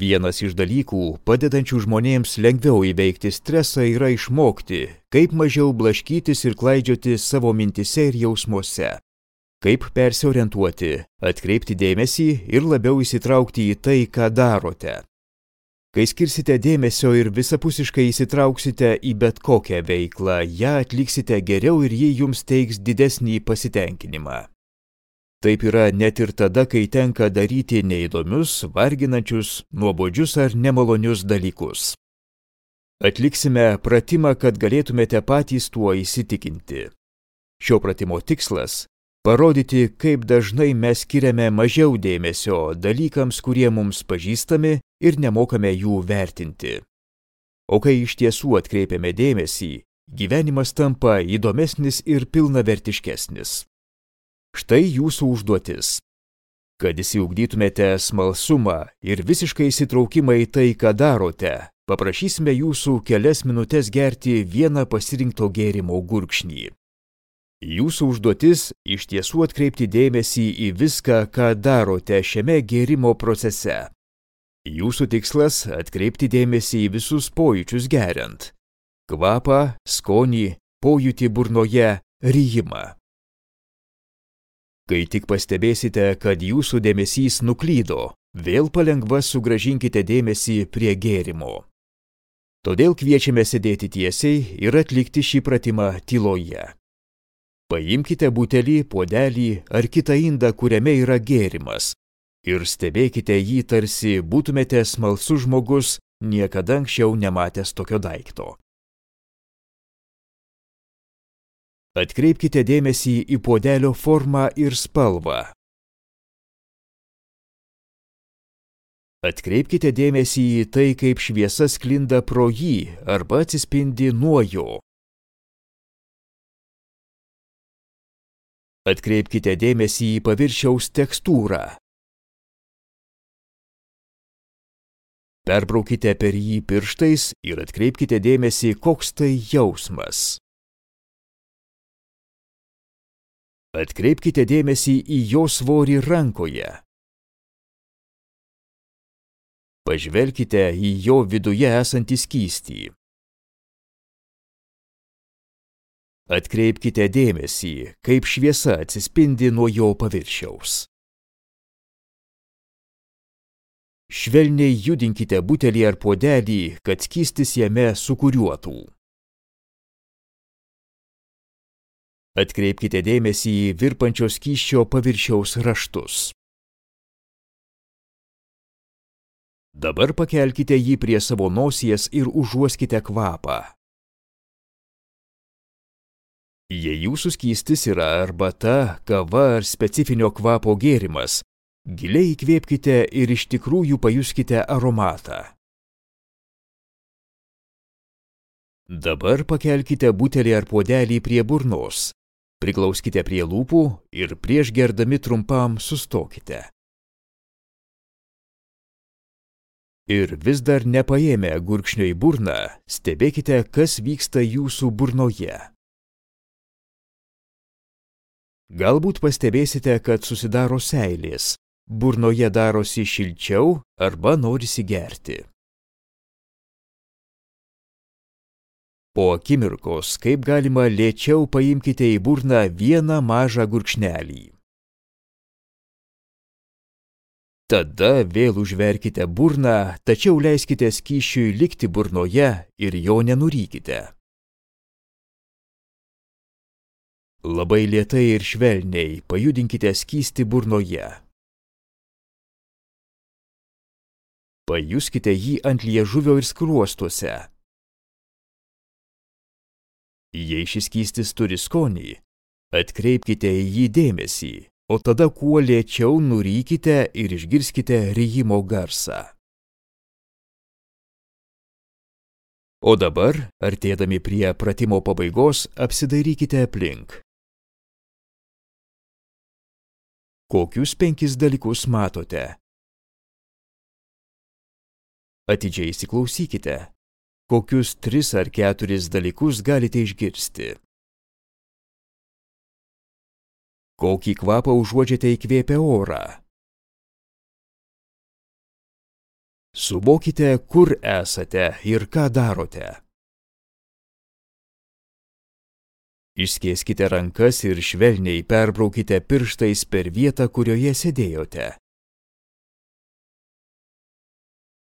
Vienas iš dalykų, padedančių žmonėms lengviau įveikti stresą, yra išmokti, kaip mažiau blaškytis ir klaidžioti savo mintise ir jausmuose. Kaip persiorientuoti, atkreipti dėmesį ir labiau įsitraukti į tai, ką darote. Kai skirsite dėmesio ir visapusiškai įsitrauksite į bet kokią veiklą, ją atliksite geriau ir ji jums teiks didesnį pasitenkinimą. Taip yra net ir tada, kai tenka daryti neįdomius, varginančius, nuobodžius ar nemalonius dalykus. Atliksime pratimą, kad galėtumėte patys tuo įsitikinti. Šio pratimo tikslas – parodyti, kaip dažnai mes skiriame mažiau dėmesio dalykams, kurie mums pažįstami ir nemokame jų vertinti. O kai iš tiesų atkreipiame dėmesį, gyvenimas tampa įdomesnis ir pilnavertiškesnis. Štai jūsų užduotis. Kad išsiugdytumėte smalsumą ir visiškai įsitraukimą į tai, ką darote, paprašysime jūsų kelias minutes gerti vieną pasirinkto gėrimo gurkšnį. Jūsų užduotis iš tiesų atkreipti dėmesį į viską, ką darote šiame gėrimo procese. Jūsų tikslas atkreipti dėmesį į visus pojūčius geriant. Kvapą, skonį, pojūtį burnoje, ryjimą. Kai tik pastebėsite, kad jūsų dėmesys nuklydo, vėl palengva sugrąžinkite dėmesį prie gėrimo. Todėl kviečiame sėdėti tiesiai ir atlikti šį pratimą tyloje. Paimkite butelį, puodelį ar kitą indą, kuriame yra gėrimas, ir stebėkite jį, tarsi būtumėte smalsus žmogus, niekada anksčiau nematęs tokio daikto. Atkreipkite dėmesį į puodelio formą ir spalvą. Atkreipkite dėmesį į tai, kaip šviesa sklinda pro jį arba atsispindi nuo jo. Atkreipkite dėmesį į paviršiaus tekstūrą. Perbraukite per jį pirštais ir atkreipkite dėmesį, koks tai jausmas. Atkreipkite dėmesį į jo svorį rankoje. Pažvelkite į jo viduje esantį skystį. Atkreipkite dėmesį, kaip šviesa atsispindi nuo jo paviršiaus. Švelniai judinkite butelį ar puodelį, kad skystis jame sūkuriuotų. Atkreipkite dėmesį į virpančio skysčio paviršiaus raštus. Dabar pakelkite jį prie savo nosies ir užuoskite kvapą. Jei jūsų skystis yra arbata, kava ar specifinio kvapo gėrimas, giliai įkvėpkite ir iš tikrųjų pajuskite aromatą. Dabar pakelkite butelį ar puodelį prie burnos. Priglauskite prie lūpų ir prieš gerdami trumpam sustokite. Ir vis dar nepaėmę gurkšnio į burną, stebėkite, kas vyksta jūsų burnoje. Galbūt pastebėsite, kad susidaro seilės, burnoje darosi šilčiau arba norisi gerti. Po akimirkos, kaip galima lėčiau paimkite į burną vieną mažą gurkšnelį. Tada vėl užverkite burną, tačiau leiskite skysčiui likti burnoje ir jo nenurykite. Labai lėtai ir švelniai pajudinkite skystį burnoje. Pajuskite jį ant liežuvio ir skruostuose. Jei šis skystis turi skonį, atkreipkite į jį dėmesį, o tada kuo lėčiau nurykite ir išgirskite ryjimo garsą. O dabar, artėdami prie pratimo pabaigos, apsidairykite aplink. Kokius 5 dalykus matote? Atidžiai įsiklausykite. Kokius 3 ar 4 dalykus galite išgirsti? Kokį kvapą užuodžiate įkvėpę orą? Suvokite, kur esate ir ką darote. Išskėskite rankas ir švelniai perbraukite pirštais per vietą, kurioje sėdėjote.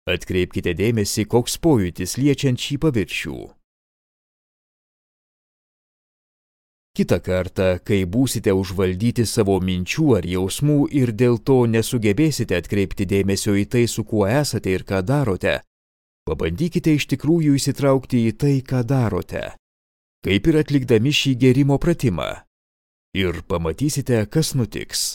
Atkreipkite dėmesį, koks pojūtis liečiant šį paviršių. Kitą kartą, kai būsite užvaldyti savo minčių ar jausmų ir dėl to nesugebėsite atkreipti dėmesio į tai, su kuo esate ir ką darote, pabandykite iš tikrųjų įsitraukti į tai, ką darote, kaip ir atlikdami šį gėrimo pratimą. Ir pamatysite, kas nutiks.